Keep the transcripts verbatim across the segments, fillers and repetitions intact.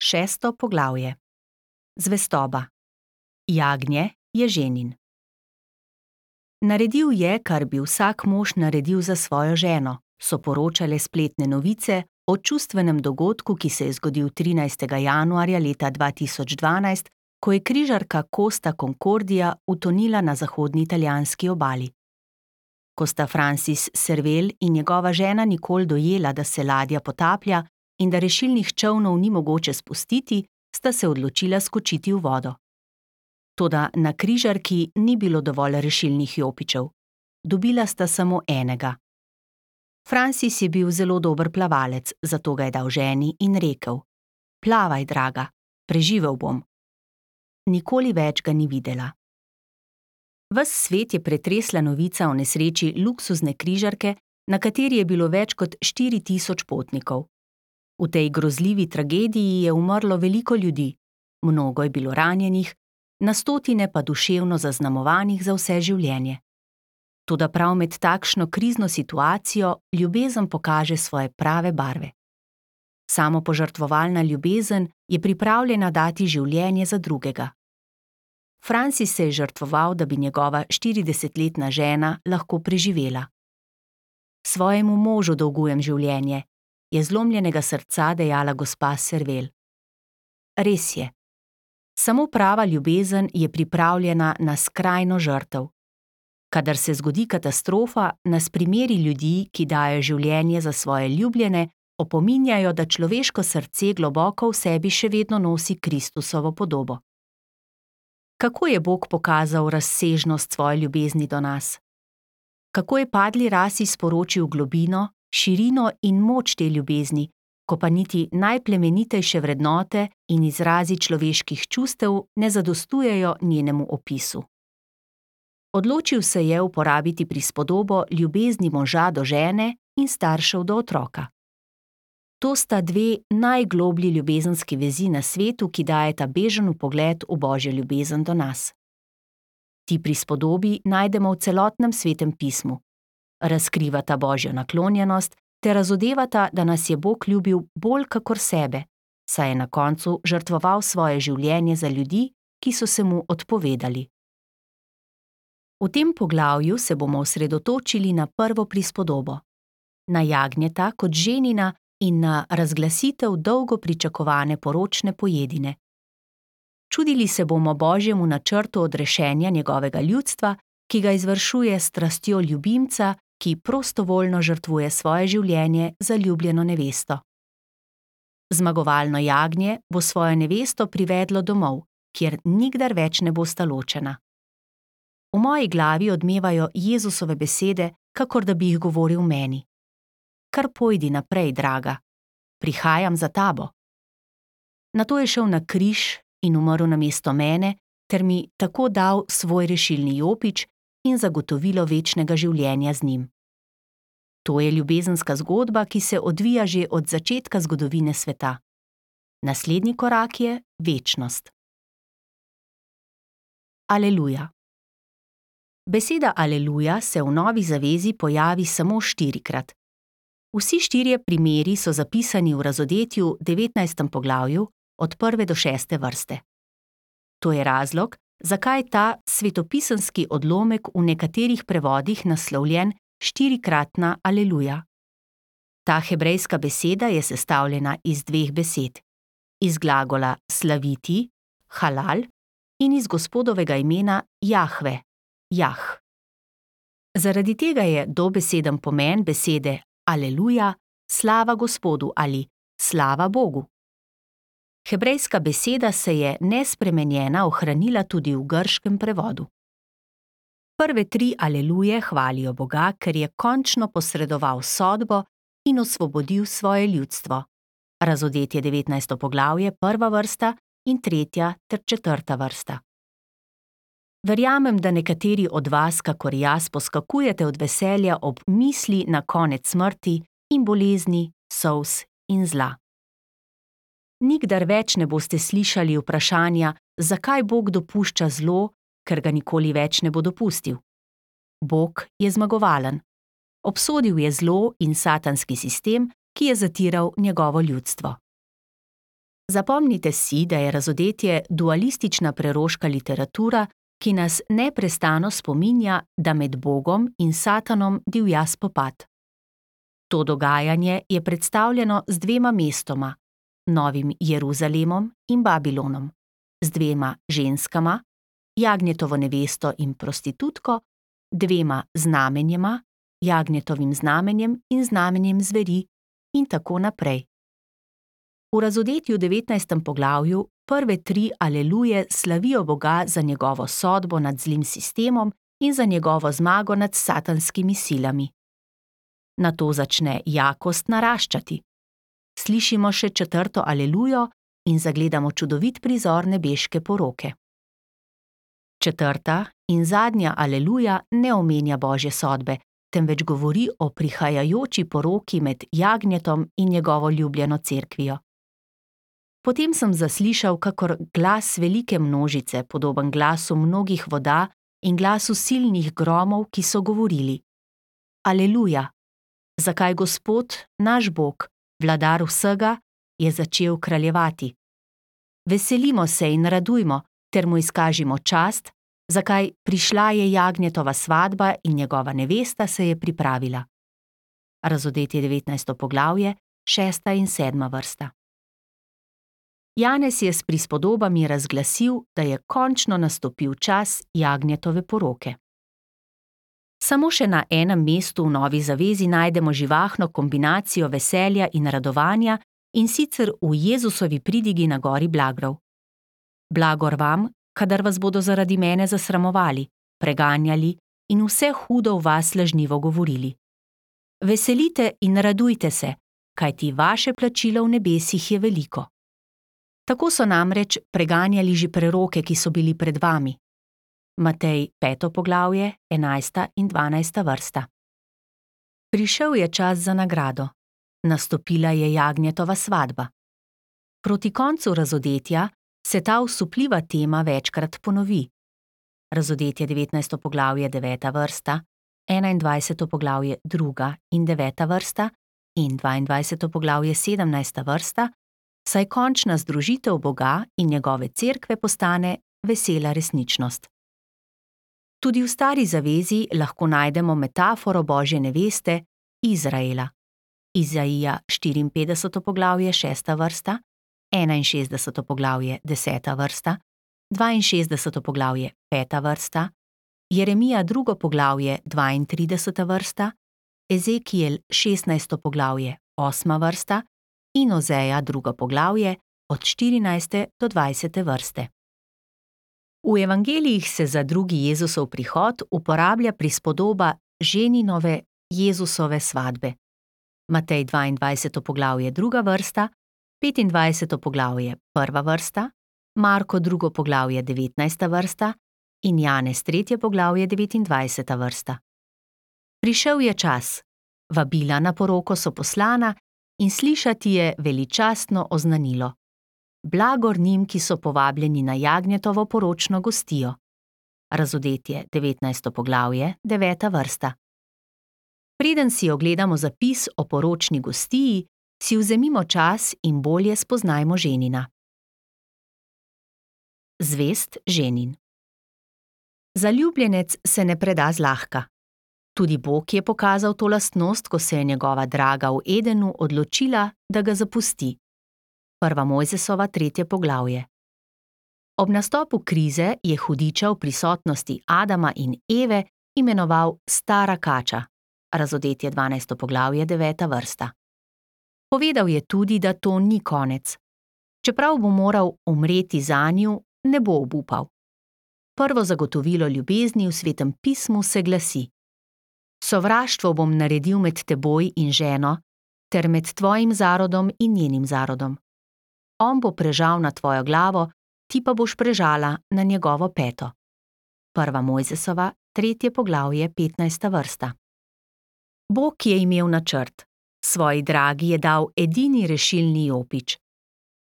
Šesto poglavje. Zvestoba. Jagnje je ženin. Naredil je, kar bi vsak mož naredil za svojo ženo, so poročale spletne novice o čustvenem dogodku, ki se je zgodil trinajstega januarja leta dva tisoč dvanajst, ko je križarka Costa Concordia utonila na zahodni italijanski obali. Ko sta Francis Servel in njegova žena Nicole dojela, da se ladja potaplja in da rešilnih čolnov ni mogoče spustiti, sta se odločila skočiti v vodo. Toda na križarki ni bilo dovolj rešilnih jopičev. Dobila sta samo enega. Francis je bil zelo dober plavalec, zato ga je dal ženi in rekel: "Plavaj, draga, preživel bom." Nikoli več ga ni videla. Ves svet je pretresla novica o nesreči luksuzne križarke, na kateri je bilo več kot štiri tisoč potnikov. V tej grozljivi tragediji je umrlo veliko ljudi, mnogo je bilo ranjenih, na stotine pa duševno zaznamovanih za vse življenje. Toda prav med takšno krizno situacijo ljubezen pokaže svoje prave barve. Samopožrtvovalna ljubezen je pripravljena dati življenje za drugega. Francis se je žrtvoval, da bi njegova štiridesetletna žena lahko preživela. "Svojemu možu dolgujem življenje," je zlomljenega srca dejala gospa Servel. Res je. Samo prava ljubezen je pripravljena na skrajno žrtev. Kadar se zgodi katastrofa, nas primeri ljudi, ki dajo življenje za svoje ljubljene, opominjajo, da človeško srce globoko v sebi še vedno nosi Kristusovo podobo. Kako je Bog pokazal razsežnost svoje ljubezni do nas? Kako je padli rasi sporočil globino, širino in moč te ljubezni, ko pa niti najplemenitejše vrednote in izrazi človeških čustev ne zadostujejo njenemu opisu. Odločil se je uporabiti prispodobo ljubezni moža do žene in staršev do otroka. To sta dve najgloblji ljubezenski vezi na svetu, ki dajeta bežen vpogled v Božjo ljubezen do nas. Ti prispodobi najdemo v celotnem Svetem pismu. Razkrivata Božjo naklonjenost ter razodevata, da nas je Bog ljubil bolj kakor sebe, saj je na koncu žrtvoval svoje življenje za ljudi, ki so se mu odpovedali. V tem poglavju se bomo osredotočili na prvo prispodobo, na jagnjeta kot ženina in na razglasitev dolgo pričakovane poročne pojedine. Čudili se bomo Božjemu načrtu odrešenja njegovega ljudstva, ki ga izvršuje s strastjo ljubimca, ki prostovoljno žrtvuje svoje življenje za ljubljeno nevesto. Zmagovalno jagnje bo svojo nevesto privedlo domov, kjer nikdar več ne bosta ločena. V moji glavi odmevajo Jezusove besede, kakor da bi jih govoril meni. "Kar pojdi naprej, draga, prihajam za tabo." Nato je šel na križ in umrl namesto mene, ter mi tako dal svoj rešilni jopič in zagotovilo večnega življenja z njim. To je ljubezenska zgodba, ki se odvija že od začetka zgodovine sveta. Naslednji korak je večnost. Aleluja. Beseda aleluja se v Novi zavezi pojavi samo štirikrat. Vsi štirje primeri so zapisani v razodetju devetnajstem poglavju od prve do šeste vrste. To je razlog, zakaj ta svetopisemski odlomek v nekaterih prevodih naslovljen štirikratna aleluja. Ta hebrejska beseda je sestavljena iz dveh besed, iz glagola slaviti, halal, in iz Gospodovega imena Jahve, Jah. Zaradi tega je dobeseden pomen besede aleluja, slava Gospodu ali slava Bogu. Hebrejska beseda se je nespremenjena ohranila tudi v grškem prevodu. Prve tri aleluje hvalijo Boga, ker je končno posredoval sodbo in osvobodil svoje ljudstvo. Razodetje devetnajsto poglavje, prva vrsta in tretja ter četrta vrsta. Verjamem, da nekateri od vas, kakor jaz, poskakujete od veselja ob misli na konec smrti in bolezni, solz in zla. Nikdar več ne boste slišali vprašanja, zakaj Bog dopušča zlo, ker ga nikoli več ne bo dopustil. Bog je zmagovalen. Obsodil je zlo in satanski sistem, ki je zatiral njegovo ljudstvo. Zapomnite si, da je Razodetje dualistična preroška literatura, ki nas neprestano spominja, da med Bogom in Satanom divja spopad. To dogajanje je predstavljeno z dvema mestoma, Novim Jeruzalemom in Babilonom, z dvema ženskama, Jagnjetovo nevesto in prostitutko, dvema znamenjema, Jagnjetovim znamenjem in znamenjem zveri in tako naprej. V Razodetju devetnajstem poglavju prve tri aleluje slavijo Boga za njegovo sodbo nad zlim sistemom in za njegovo zmago nad satanskimi silami. Nato začne jakost naraščati. Slišimo še četrto alelujo in zagledamo čudovit prizor nebeške poroke. Četrta in zadnja aleluja ne omenja Božje sodbe, temveč govori o prihajajoči poroki med Jagnjetom in njegovo ljubljeno cerkvijo. Potem sem zaslišal kakor glas velike množice, podoben glasu mnogih voda in glasu silnih gromov, ki so govorili: Aleluja! Zakaj Gospod, naš Bog, vladar vsega, je začel kraljevati? Veselimo se in radujmo, ter mu izkažimo čast, zakaj prišla je Jagnjetova svadba in njegova nevesta se je pripravila. Razodetje devetnajsto poglavje, šesta in sedma vrsta. Janez je s prispodobami razglasil, da je končno nastopil čas Jagnjetove poroke. Samo še na enem mestu v Novi zavezi najdemo živahno kombinacijo veselja in radovanja, in sicer v Jezusovi pridigi na gori Blagrov. Blagor vam, kadar vas bodo zaradi mene zasramovali, preganjali in vse hudo v vas lažnivo govorili. Veselite in radujte se, kajti vaše plačilo v nebesih je veliko. Tako so namreč preganjali že preroke, ki so bili pred vami. Matej peto poglavje, enajsta in dvanajsta vrsta. Prišel je čas za nagrado. Nastopila je Jagnjetova svadba. Proti koncu Razodetja se ta osupljiva tema večkrat ponovi. Razodetje devetnajsto poglavje, deveta vrsta, enaindvajseto poglavje, druga in deveta vrsta in dvaindvajseto poglavje, sedemnajsta vrsta, saj končna združitev Boga in njegove cerkve postane vesela resničnost. Tudi v Stari zavezi lahko najdemo metaforo Božje neveste, Izraela. Izaija štiriinpetdeseto poglavje, šesta vrsta, enainšestdeseto poglavje, deseta vrsta, dvainšestdeseto poglavje, peta vrsta, Jeremija drugo poglavje, dvaintrideseta vrsta, Ezekiel šestnajsto poglavje, osma vrsta in Ozeja drugo poglavje, od štirinajste do dvajsete vrste. V evangelijih se za drugi Jezusov prihod uporablja prispodoba ženinove Jezusove svadbe. Matej dvaindvajseto poglavje, druga vrsta, petindvajseto poglavje, prva vrsta, Marko drugo poglavje, devetnajsta vrsta in Janez tretje poglavje, devetindvajseta vrsta. Prišel je čas, vabila na poroko so poslana in slišati je veličastno oznanilo: Blagor njim, ki so povabljeni na Jagnjetovo poročno gostijo. Razodetje devetnajsto poglavje, deveta vrsta. Preden si ogledamo zapis o poročni gostiji, si vzemimo čas in bolje spoznajmo ženina. Zvest ženin. Zaljubljenec se ne preda zlahka. Tudi Bog je pokazal to lastnost, ko se je njegova draga v Edenu odločila, da ga zapusti. Prva Mojzesova tretje poglavje. Ob nastopu krize je hudiča v prisotnosti Adama in Eve imenoval stara kača. Razodetje dvanajsto poglavje, deveta vrsta. Povedal je tudi, da to ni konec. Čeprav bo moral umreti zanju, ne bo obupal. Prvo zagotovilo ljubezni v Svetem pismu se glasi: Sovraštvo bom naredil med teboj in ženo, ter med tvojim zarodom in njenim zarodom. On bo prežal na tvojo glavo, ti pa boš prežala na njegovo peto. Prva Mojzesova, tretje poglavje, petnajsta vrsta. Bog je imel načrt. Svoji dragi je dal edini rešilni jopič.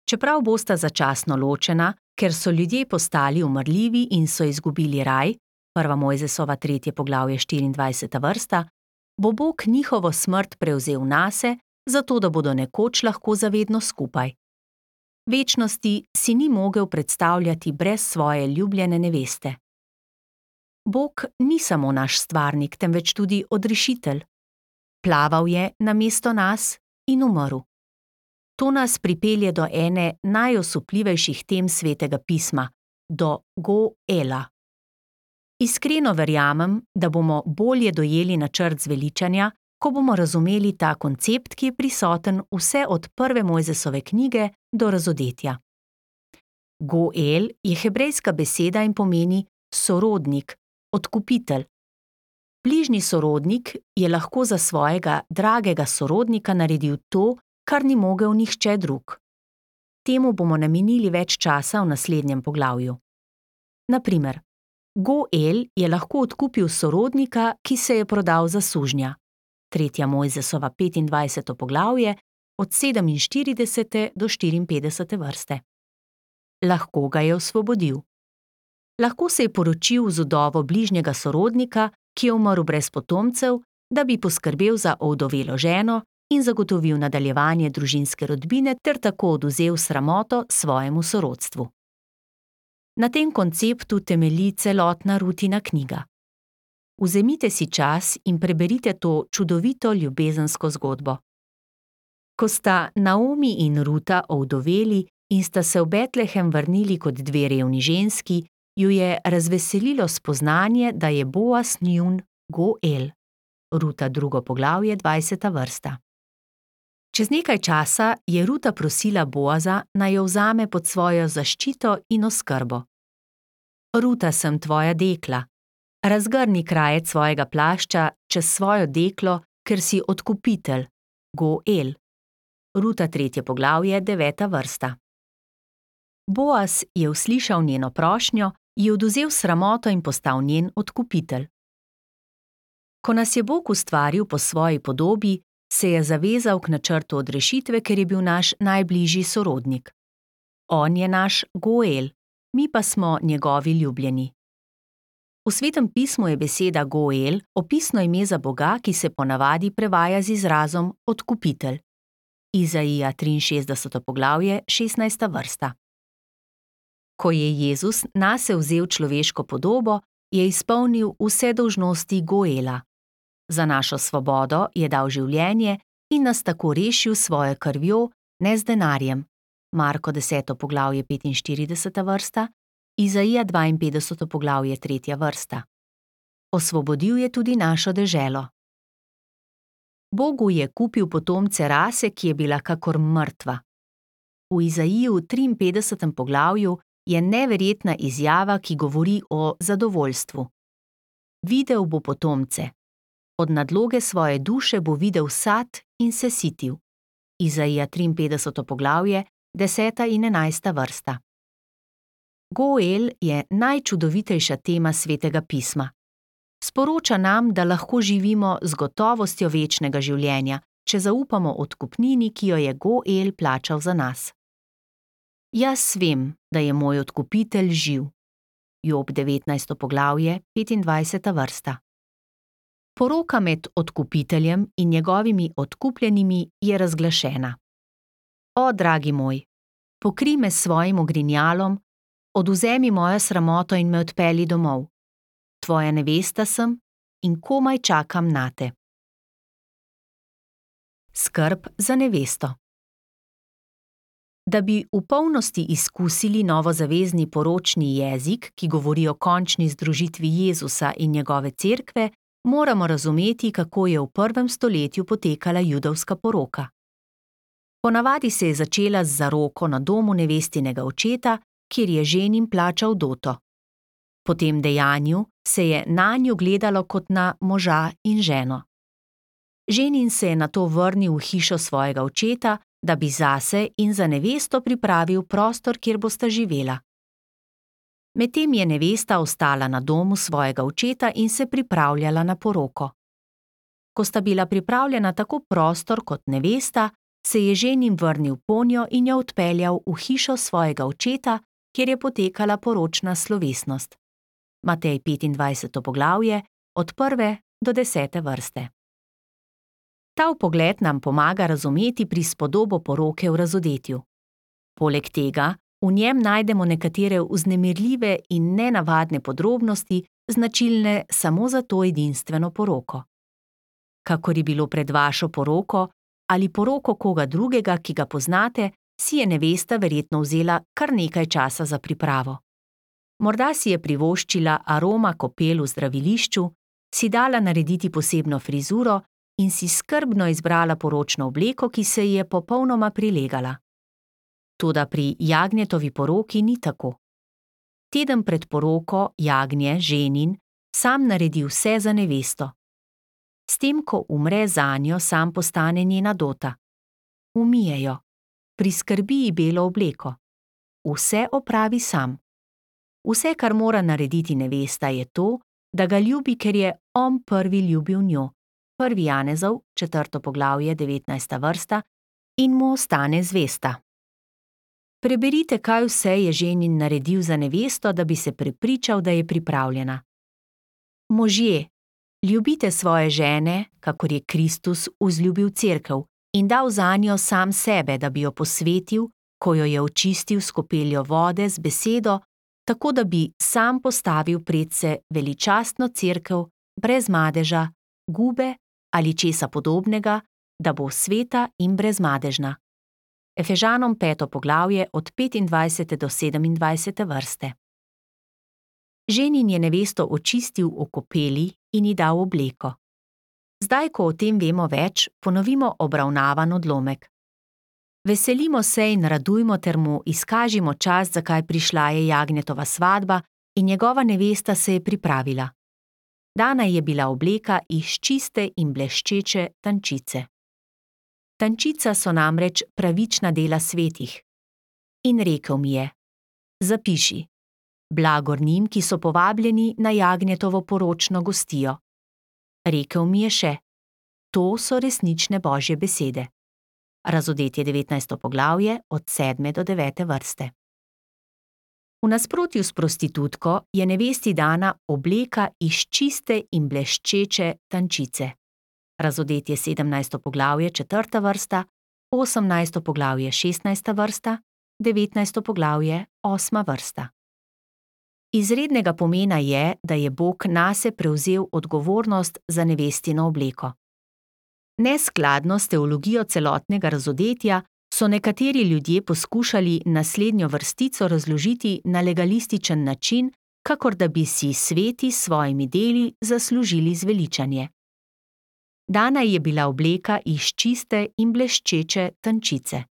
Čeprav bosta začasno ločena, ker so ljudje postali umrljivi in so izgubili raj, prva Mojzesova tretje poglavje, štiriindvajseta vrsta, bo Bog njihovo smrt prevzel nase, zato da bodo nekoč lahko zavedno skupaj. Večnosti si ni mogel predstavljati brez svoje ljubljene neveste. Bog ni samo naš stvarnik, temveč tudi odrešitelj. Plaval je namesto nas in umrl. To nas pripelje do ene najosupljivejših tem Svetega pisma, do Goela. Iskreno verjamem, da bomo bolje dojeli načrt zveličanja, ko bomo razumeli ta koncept, ki je prisoten vse od prve Mojzesove knjige do Razodetja. Goel je hebrejska beseda in pomeni sorodnik, odkupitelj. Bližnji sorodnik je lahko za svojega dragega sorodnika naredil to, kar ni mogel nihče drug. Temu bomo namenili več časa v naslednjem poglavju. Na primer, Goel je lahko odkupil sorodnika, ki se je prodal za sužnja. Tretja Mojzesova petindvajseto poglavje od sedeminštiridesete do štiriinpetdesete vrste. Lahko ga je osvobodil. Lahko se je poročil z vdovo bližnjega sorodnika, ki je umrl brez potomcev, da bi poskrbel za ovdovelo ženo in zagotovil nadaljevanje družinske rodbine ter tako odvzel sramoto svojemu sorodstvu. Na tem konceptu temelji celotna Rutina knjiga. Vzemite si čas in preberite to čudovito ljubezensko zgodbo. Ko sta Naomi in Ruta ovdoveli in sta se v Betlehem vrnili kot dve revni ženski, ju je razveselilo spoznanje, da je Boaz njun Goel. Ruta drugo poglavje, dvajseta vrsta. Čez nekaj časa je Ruta prosila Boaza, naj jo vzame pod svojo zaščito in oskrbo. Ruta, sem tvoja dekla. Razgrni krajec svojega plašča čez svojo deklo, ker si odkupitelj, Goel. Ruta tretje poglavje, deveta vrsta. Boaz je uslišal njeno prošnjo, ji odvzel sramoto in postal njen odkupitelj. Ko nas je Bog ustvaril po svoji podobi, se je zavezal k načrtu odrešitve, ker je bil naš najbližji sorodnik. On je naš Goel, mi pa smo njegovi ljubljeni. V Svetem pismu je beseda Goel opisno ime za Boga, ki se ponavadi prevaja z izrazom odkupitelj. Izaija triinšestdeseto poglavje, šestnajsta vrsta. Ko je Jezus nase vzel človeško podobo, je izpolnil vse dolžnosti Goela. Za našo svobodo je dal življenje in nas tako rešil s svojo krvjo, ne z denarjem. Marko deseto poglavje, petinštirideseta vrsta, Izaija dvainpetdeseto poglavje, tretja vrsta. Osvobodil je tudi našo deželo. Bogu je kupil potomce rase, ki je bila kakor mrtva. V Izaiju triinpetdesetem poglavju je neverjetna izjava, ki govori o zadovoljstvu. Videl bo potomce. Od nadloge svoje duše bo videl sad in se sitil. Izaija triinpetdeseto poglavje, deseta in enajsta vrsta. Goel je najčudovitejša tema Svetega pisma. Sporoča nam, da lahko živimo z gotovostjo večnega življenja, če zaupamo odkupnini, ki jo je Goel plačal za nas. Jaz vem, da je moj odkupitelj živ. Job devetnajsto poglavje, petindvajseta vrsta. Poroka med odkupiteljem in njegovimi odkupljenimi je razglašena. O, dragi moj, pokrij me s svojim ogrinjalom, odvzemi mojo sramoto in me odpelji domov. Tvoja nevesta sem in komaj čakam nate. Skrb za nevesto. Da bi v polnosti izkusili novozavezni poročni jezik, ki govori o končni združitvi Jezusa in njegove cerkve, moramo razumeti, kako je v prvem stoletju potekala judovska poroka. Ponavadi se je začela z zaroko na domu nevestinega očeta, kjer je ženin plačal doto. Po tem dejanju se je nanju gledalo kot na moža in ženo. Ženin se je nato vrnil v hišo svojega očeta, da bi zase in za nevesto pripravil prostor, kjer bosta živela. Medtem je nevesta ostala na domu svojega očeta in se pripravljala na poroko. Ko sta bila pripravljena tako prostor kot nevesta, se je ženin vrnil ponjo in jo odpeljal v hišo svojega očeta, kjer je potekala poročna slovesnost. Matej petindvajseto poglavje, od prve do desete vrste. Ta vpogled nam pomaga razumeti prispodobo poroke v Razodetju. Poleg tega v njem najdemo nekatere vznemirljive in nenavadne podrobnosti, značilne samo za to edinstveno poroko. Kakor je bilo pred vašo poroko ali poroko koga drugega, ki ga poznate, si je nevesta verjetno vzela kar nekaj časa za pripravo. Morda si je privoščila aroma kopel v zdravilišču, si dala narediti posebno frizuro in si skrbno izbrala poročno obleko, ki se ji je popolnoma prilegala. Toda pri Jagnjetovi poroki ni tako. Teden pred poroko Jagnje, ženin, sam naredi vse za nevesto. S tem, ko umre zanjo, sam postane njena dota. Umije jo, priskrbi ji belo obleko. Vse opravi sam. Vse, kar mora narediti nevesta, je to, da ga ljubi, ker je on prvi ljubil njo. Prvi Janezov, četrto poglavje, devetnajsta vrsta, in mu ostane zvesta. Preberite, kaj vse je ženin naredil za nevesto, da bi se prepričal, da je pripravljena. Možje, ljubite svoje žene, kakor je Kristus vzljubil cerkev in dal zanjo sam sebe, da bi jo posvetil, ko jo je očistil s kopeljo vode z besedo, tako da bi sam postavil predse veličastno cerkev, brez madeža, gube ali česa podobnega, da bo sveta in brezmadežna. Efežanom peto poglavje od petindvajsete do sedemindvajsete vrste. Ženin je nevesto očistil v kopeli in ji dal obleko. Zdaj, ko o tem vemo več, ponovimo obravnavan odlomek. Veselimo se in radujmo ter mu izkažimo čast, zakaj prišla je Jagnjetova svadba in njegova nevesta se je pripravila. Dana je bila obleka iz čiste in bleščeče tančice. Tančica so namreč pravična dela svetih. In rekel mi je: zapiši, blagor njim, ki so povabljeni na Jagnjetovo poročno gostijo. Rekel mi je še: to so resnične Božje besede. Razodetje devetnajsto poglavje od sedme do devete vrste. V nasprotju s prostitutko je nevesti dana obleka iz čiste in bleščeče tančice. Razodetje sedemnajsto poglavje četrta vrsta, osemnajsto poglavje šestnajsta vrsta, devetnajsto poglavje osma vrsta. Izrednega pomena je, da je Bog nase prevzel odgovornost za nevestino obleko. Neskladno s teologijo celotnega razodetja so nekateri ljudje poskušali naslednjo vrstico razložiti na legalističen način, kakor da bi si sveti s svojimi deli zaslužili zveličanje. Dana je bila obleka iz čiste in bleščeče tančice.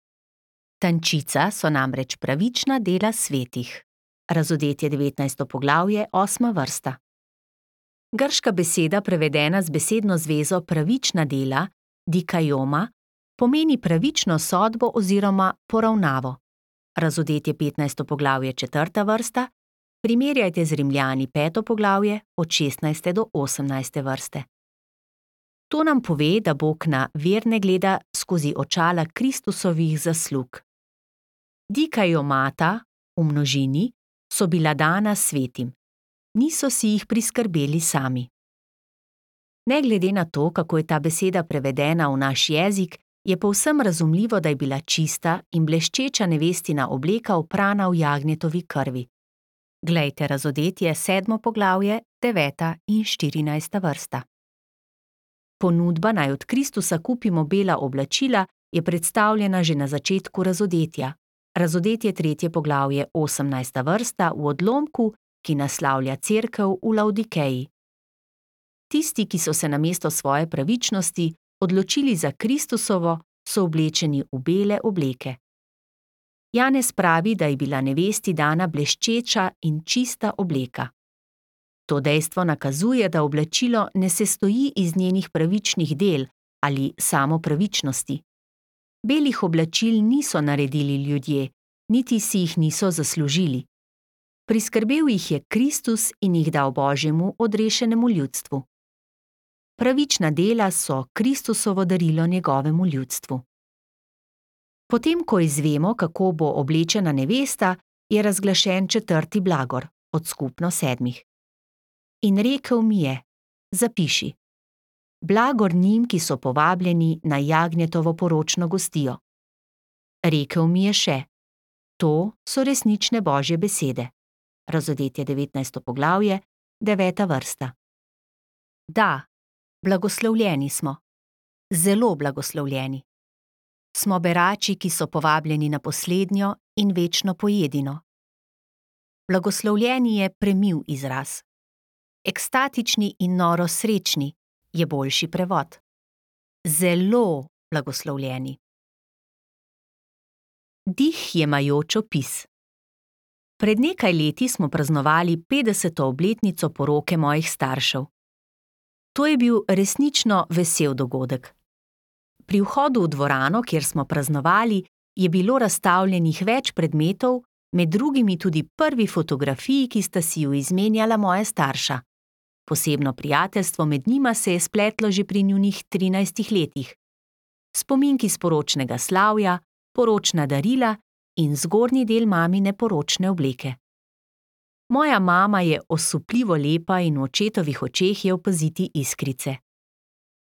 Tančica so namreč pravična dela svetih. Razodetje devetnajsto poglavje, osma vrsta. Grška beseda, prevedena z besedno zvezo pravična dela, dikajoma, pomeni pravično sodbo oziroma poravnavo. Razodetje petnajsto poglavje, četrta vrsta, primerjajte z Rimljani peto poglavje od šestnajste do osemnajste vrste. To nam pove, da Bog na verne gleda skozi očala Kristusovih zaslug. Dikajomata, v množini, so bila dana svetim. Niso si jih priskrbeli sami. Ne glede na to, kako je ta beseda prevedena v naš jezik, je povsem razumljivo, da je bila čista in bleščeča nevestina obleka oprana v Jagnjetovi krvi. Glejte razodetje sedmo poglavje, deveta in štirinajsta vrsta. Ponudba, naj od Kristusa kupimo bela oblačila, je predstavljena že na začetku razodetja. Razodetje tretje poglavje, osemnajsta vrsta, v odlomku, ki naslavlja cerkev v Laodikeji. Tisti, ki so se namesto svoje pravičnosti odločili za Kristusovo, so oblečeni v bele obleke. Janez pravi, da je bila nevesti dana bleščeča in čista obleka. To dejstvo nakazuje, da oblačilo ne sestoji iz njenih pravičnih del ali samo pravičnosti. Belih oblačil niso naredili ljudje, niti si jih niso zaslužili. Priskrbel jih je Kristus in jih dal Božjemu odrešenemu ljudstvu. Pravična dela so Kristusovo darilo njegovemu ljudstvu. Potem, ko izvemo, kako bo oblečena nevesta, je razglašen četrti blagor, od skupno sedmih. In rekel mi je: zapiši, blagor njim, ki so povabljeni na Jagnjetovo poročno gostijo. Rekel mi je še: To so resnične Božje besede. Razodetje devetnajsto poglavje, deveta vrsta. Da, blagoslovljeni smo. Zelo blagoslovljeni. Smo berači, ki so povabljeni na poslednjo in večno pojedino. Blagoslovljeni je premil izraz. Ekstatični in noro srečni je boljši prevod. Zelo blagoslovljeni. Dih jemajoč opis. Pred nekaj leti smo praznovali petdeseto obletnico poroke mojih staršev. To je bil resnično vesel dogodek. Pri vhodu v dvorano, kjer smo praznovali, je bilo razstavljenih več predmetov, med drugimi tudi prvi fotografiji, ki sta si ju izmenjala moja starša. Posebno prijateljstvo med njima se je spletlo že pri njunih trinajstih letih. Spominki s poročnega slavja, poročna darila in zgornji del mamine poročne obleke. Moja mama je osupljivo lepa in v očetovih očeh je opaziti iskrice.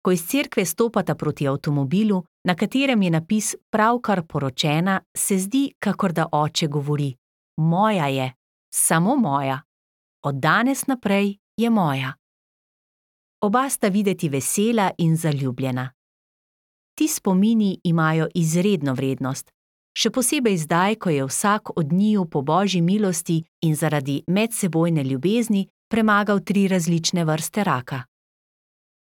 Ko iz cerkve stopata proti avtomobilu, na katerem je napis pravkar poročena, se zdi, kakor da oče govori: moja je, samo moja. Od danes naprej je moja. Oba sta videti vesela in zaljubljena. Ti spomini imajo izredno vrednost, še posebej zdaj, ko je vsak od njiju po Božji milosti in zaradi medsebojne ljubezni premagal tri različne vrste raka.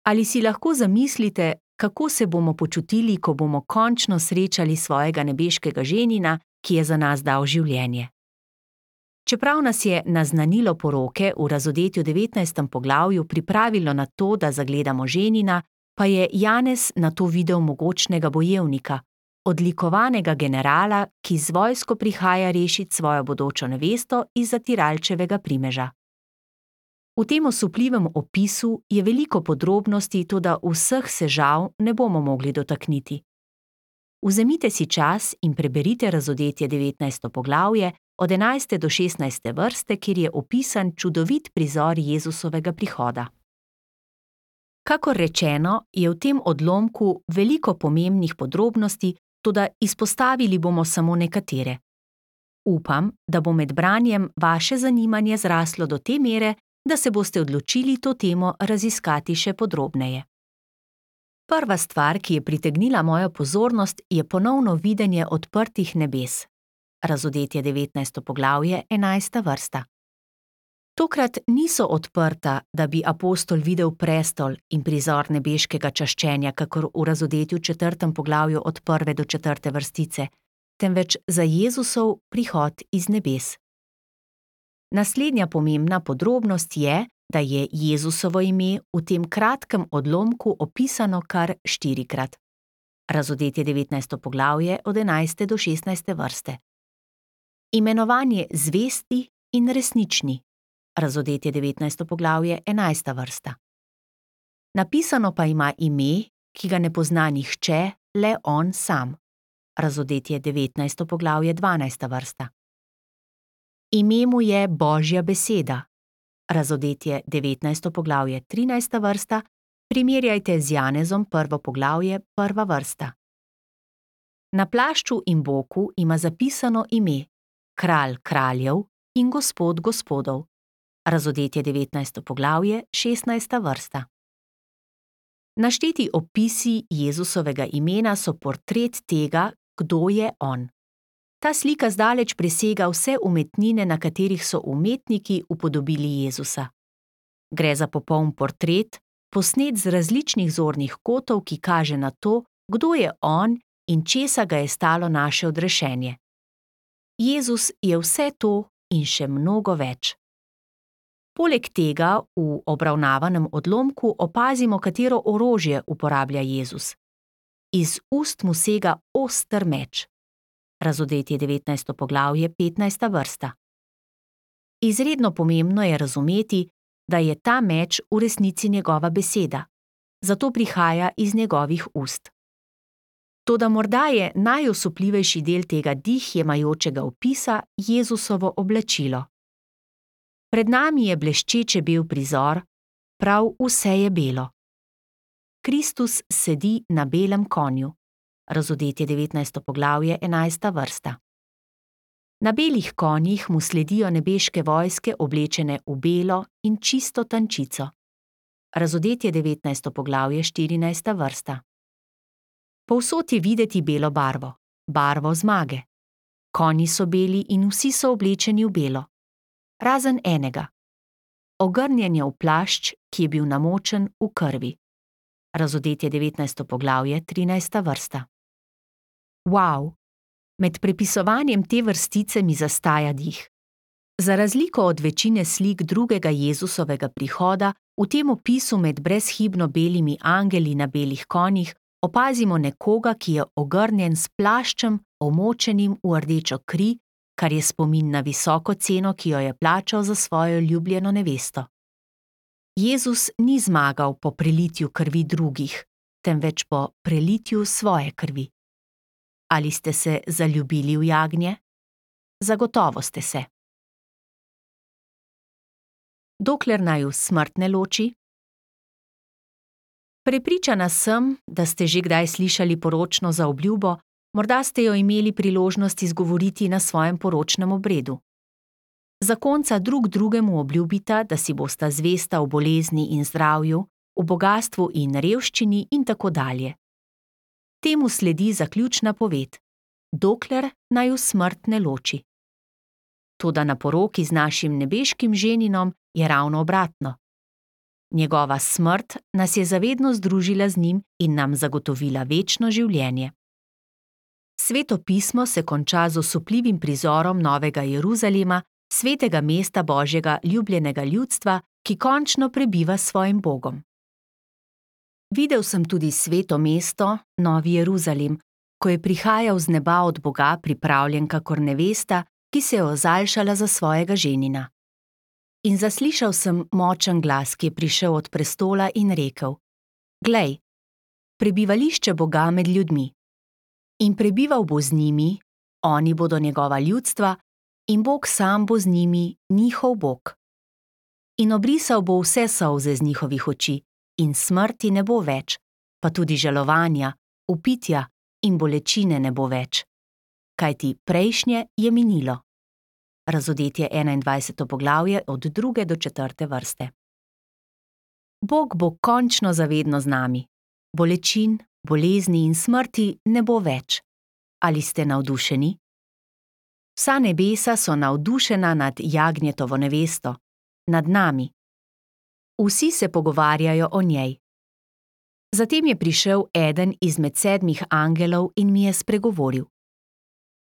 Ali si lahko zamislite, kako se bomo počutili, ko bomo končno srečali svojega nebeškega ženina, ki je za nas dal življenje? Čeprav nas je naznanilo poroke v razodetju devetnajstem poglavju pripravilo na to, da zagledamo ženina, pa je Janez na to videl mogočnega bojevnika, odlikovanega generala, ki z vojsko prihaja rešit svojo bodočo nevesto iz zatiralčevega primeža. V tem osupljivem opisu je veliko podrobnosti, toda vseh se žal ne bomo mogli dotakniti. Vzemite si čas in preberite razodetje devetnajsto poglavje od enajste do šestnajste vrste, kjer je opisan čudovit prizor Jezusovega prihoda. Kakor rečeno, je v tem odlomku veliko pomembnih podrobnosti, toda izpostavili bomo samo nekatere. Upam, da bo med branjem vaše zanimanje zraslo do te mere, da se boste odločili to temo raziskati še podrobneje. Prva stvar, ki je pritegnila mojo pozornost, je ponovno videnje odprtih nebes. Razodetje devetnajsto poglavje, enajsta vrsta. Tokrat niso odprta, da bi apostol videl prestol in prizor nebeškega čaščenja, kakor v razodetju četrtem poglavju od prve do četrte vrstice, temveč za Jezusov prihod iz nebes. Naslednja pomembna podrobnost je, da je Jezusovo ime v tem kratkem odlomku opisano kar štirikrat. Razodetje devetnajsto poglavje od enajste do šestnajste vrste. Imenovanje zvesti in resnični. Razodetje devetnajsto poglavje, enajsta vrsta. Napisano pa ima ime, ki ga ne pozna nihče, le on sam. Razodetje devetnajsto poglavje, dvanajsta vrsta. Ime mu je Božja beseda. Razodetje devetnajsto poglavje, trinajsta vrsta, primerjajte z Janezom prvo poglavje, prva vrsta. Na plašču in boku ima zapisano ime Kralj kraljev in Gospod gospodov. Razodetje devetnajsto poglavje, šestnajsta vrsta. Našteti opisi Jezusovega imena so portret tega, kdo je on. Ta slika zdaleč presega vse umetnine, na katerih so umetniki upodobili Jezusa. Gre za popoln portret, posnet z različnih zornih kotov, ki kaže na to, kdo je on in česa ga je stalo naše odrešenje. Jezus je vse to in še mnogo več. Poleg tega v obravnavanem odlomku opazimo, katero orožje uporablja Jezus. Iz ust mu sega oster meč. Razodetje devetnajsto poglavje, petnajsta vrsta. Izredno pomembno je razumeti, da je ta meč v resnici njegova beseda, zato prihaja iz njegovih ust. Toda morda je najosupljivejši del tega dih jemajočega opisa Jezusovo oblačilo. Pred nami je bleščeče bel prizor, prav vse je belo. Kristus sedi na belem konju. Razodetje devetnajsto poglavje, enajsta vrsta. Na belih konjih mu sledijo nebeške vojske oblečene v belo in čisto tančico. Razodetje devetnajsto poglavje, štirinajsta vrsta. Povsod je videti belo barvo, barvo zmage. Konji so beli in vsi so oblečeni v belo. Razen enega. Ogrnjen je v plašč, ki je bil namočen v krvi. Razodetje devetnajsto poglavje, trinajsta vrsta. Wow! Med prepisovanjem te vrstice mi zastaja dih. Za razliko od večine slik drugega Jezusovega prihoda, v tem opisu med brezhibno belimi angeli na belih konjih opazimo nekoga, ki je ogrnjen s plaščem, omočenim v rdečo kri, kar je spomin na visoko ceno, ki jo je plačal za svojo ljubljeno nevesto. Jezus ni zmagal po prelitju krvi drugih, temveč po prelitju svoje krvi. Ali ste se zaljubili v jagnje? Zagotovo ste se. Dokler naju smrt ne loči? Prepričana sem, da ste že kdaj slišali poročno zaobljubo, morda ste jo imeli priložnost izgovoriti na svojem poročnem obredu. Zakonca drug drugemu obljubita, da si bosta zvesta v bolezni in zdravju, v bogastvu in revščini in tako dalje. Temu sledi zaključna poved: dokler naju smrt ne loči. Toda na poroki z našim nebeškim ženinom je ravno obratno. Njegova smrt nas je zavedno združila z njim in nam zagotovila večno življenje. Sveto pismo se konča z osupljivim prizorom Novega Jeruzalema, svetega mesta Božjega ljubljenega ljudstva, ki končno prebiva s svojim Bogom. Videl sem tudi sveto mesto, Novi Jeruzalem, ko je prihajal z neba od Boga pripravljen kakor nevesta, ki se je ozaljšala za svojega ženina. In zaslišal sem močen glas, ki je prišel od prestola in rekel: Glej, prebivališče Boga med ljudmi. In prebival bo z njimi, oni bodo njegova ljudstva, in Bog sam bo z njimi, njihov Bog. In obrisal bo vse solze z njihovih oči, in smrti ne bo več, pa tudi žalovanja, vpitja in bolečine ne bo več. Kajti prejšnje je minilo. Razodetje enaindvajseto poglavje od druge do četrte vrste. Bog bo končno zavedno z nami. Bolečin, bolezni in smrti ne bo več. Ali ste navdušeni? Vsa nebesa so navdušena nad jagnjetovo nevesto, nad nami. Vsi se pogovarjajo o njej. Zatem je prišel eden izmed sedmih angelov in mi je spregovoril: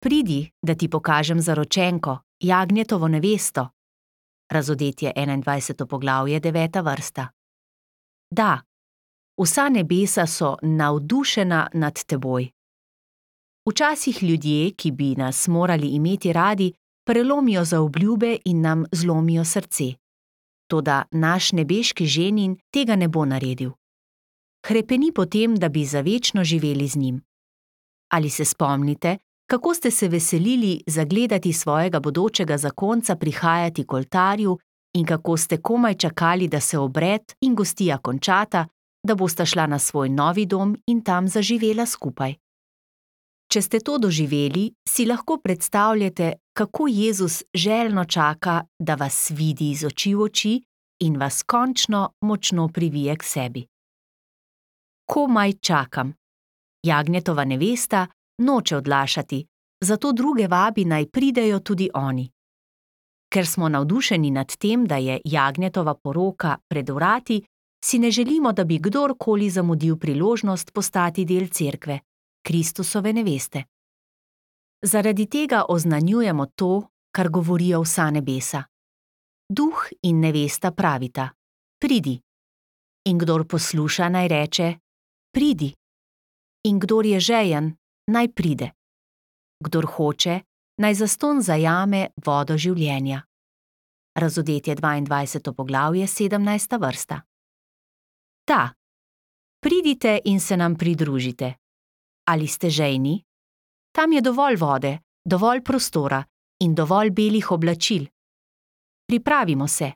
Pridi, da ti pokažem zaročenko, jagnjetovo nevesto. Razodetje enaindvajseto poglavje, deveta vrsta. Da, vsa nebesa so navdušena nad teboj. Včasih ljudje, ki bi nas morali imeti radi, prelomijo zaobljube in nam zlomijo srce. Toda naš nebeški ženin tega ne bo naredil. Hrepeni potem, da bi zavečno živeli z njim. Ali se spomnite, kako ste se veselili zagledati svojega bodočega zakonca prihajati k oltarju in kako ste komaj čakali, da se obred in gostija končata, da bosta šla na svoj novi dom in tam zaživela skupaj. Če ste to doživeli, si lahko predstavljate, kako Jezus željno čaka, da vas vidi iz oči v oči in vas končno močno privije k sebi. Komaj čakam. Jagnjetova nevesta noče odlašati, zato druge vabi, naj pridejo tudi oni. Ker smo navdušeni nad tem, da je jagnjetova poroka pred vrati, si ne želimo, da bi kdorkoli zamudil priložnost postati del cerkve, Kristusove neveste. Zaradi tega oznanjujemo to, kar govorijo vsa nebesa. Duh in nevesta pravita: pridi. In kdor posluša, naj reče: pridi. In kdor je žejen, naj pride. Kdor hoče, naj zastonj zajame vodo življenja. Razodetje dvaindvajseto poglavje, sedemnajsta vrsta. Da, pridite in se nam pridružite. Ali ste žejni? Tam je dovolj vode, dovolj prostora in dovolj belih oblačil. Pripravimo se.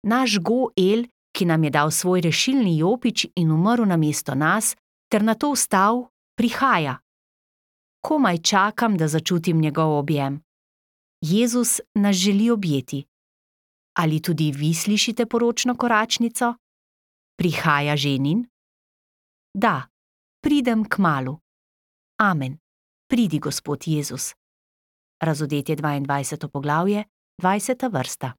Naš Go-El, ki nam je dal svoj rešilni jopič in umrl namesto nas, ter nato vstal, prihaja. Komaj čakam, da začutim njegov objem. Jezus nas želi objeti. Ali tudi vi slišite poročno koračnico? Prihaja ženin? Da, pridem kmalu. Amen. Pridi, Gospod Jezus. Razodetje dvaindvajseto poglavje, dvajseta vrsta.